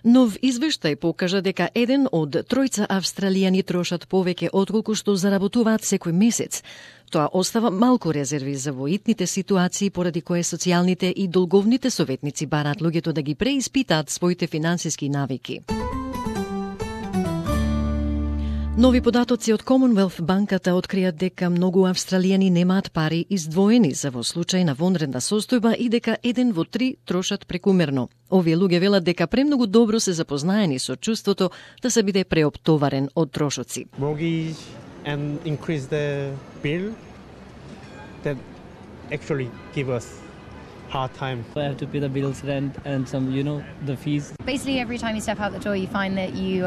Нов извештај покажа дека еден од тројца австралијани трошат повеќе отколку што заработуваат секој месец. Тоа остава малку резерви за воитните ситуации поради кое социјалните и долговните советници бараат луѓето да ги преиспитаат своите финансиски навики. Нови податоци од Commonwealth банката откријат дека многу австралијани немаат пари издвоени за во случај на вонредна состојба и дека 1 во 3 трошат прекумерно. Овие луѓе велат дека премногу добро се запознаени со чувството да се биде преоптоварен од трошоци. Mortgage and increase the bill that actually give us hard time. I have to pay the bills, rent, and some, the fees. Basically, every time you step out the door, you find that you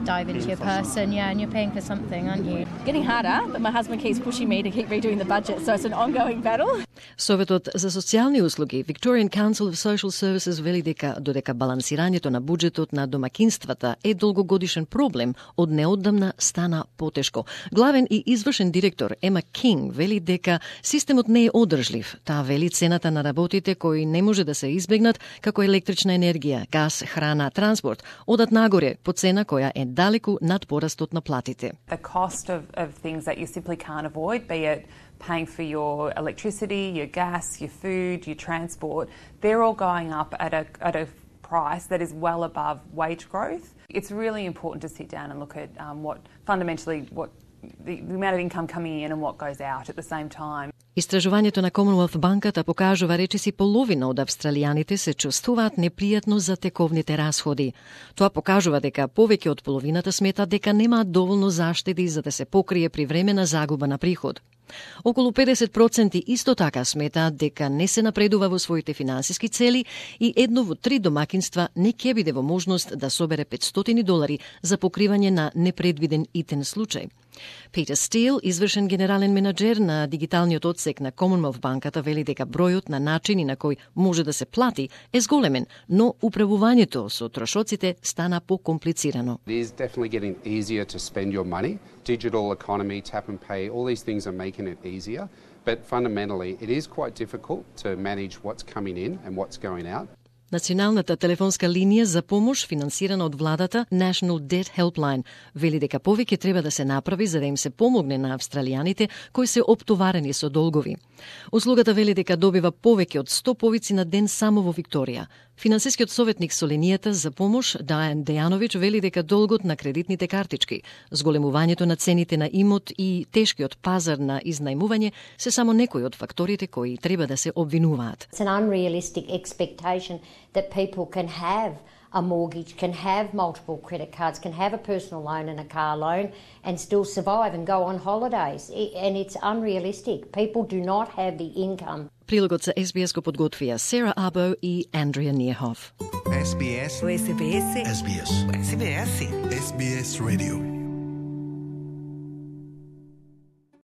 dive into your purse and you're paying for something, aren't you? Getting harder, but my husband keeps pushing me to keep redoing the budget, so it's an ongoing battle. Советот за социјални услуги, Victorian Council of Social Services, вели дека додека балансирањето на буџетот на домакинствата е долгогодишен проблем, од неодамна стана потешко. Главен и извршен директор Ема Кинг вели дека системот не е одржлив. Таа вели цената на работите кои не може да се избегнат, како електрична енергија, газ, храна, транспорт, одат нагоре по цена која е далеку над порастот на платите. The cost of things that you simply can't avoid, be it paying for your electricity, your gas, your food, your transport, they're all going up at a price that is well above wage growth. It's really important to sit down and look at what the amount of income coming in and what goes out at the same time. Истражувањето на Commonwealth банката покажува речиси половина од австралијаните се чувствуваат непријатно за тековните расходи. Тоа покажува дека повеќе од половината сметат дека немаат доволно заштеди за да се покрие привремена загуба на приход. Околу 50% исто така сметаат дека не се напредува во своите финансиски цели и 1 во 3 домакинства не ќе биде во можност да собере $500 за покривање на непредвиден итен случај. Питер Стил, извршен генерален менаџер на дигиталниот одсек на Commonwealth банката, вели дека бројот на начини на кој може да се плати е зголемен, но управувањето со трошоците стана покомплицирано. It is definitely getting easier to spend your money. Digital economy, tap and pay, all these things are making it easier, but fundamentally it is quite difficult to manage what's coming in and what's going out. Националната телефонска линија за помош, финансирана од владата, National Debt Helpline, вели дека повеќе треба да се направи за да им се помогне на австралијаните кои се оптоварени со долгови. Услугата вели дека добива повеќе од 100 повици на ден само во Викторија. Финансискиот советник со линијата за помош, Дајан Дејановиќ, вели дека долгот на кредитните картички, зголемувањето на цените на имот и тешкиот пазар на изнајмување се само некои од факторите кои треба да се обвинуваат. It's an unrealistic expectation that people can have a mortgage, can have multiple credit cards, can have a personal loan and a car loan and still survive and go on holidays. And it's unrealistic. People do not have the income. Прилогот за SBS го подготвија Сера Або и Андрија Ниехов. SBS. SBS. SBS. SBS. SBS Radio.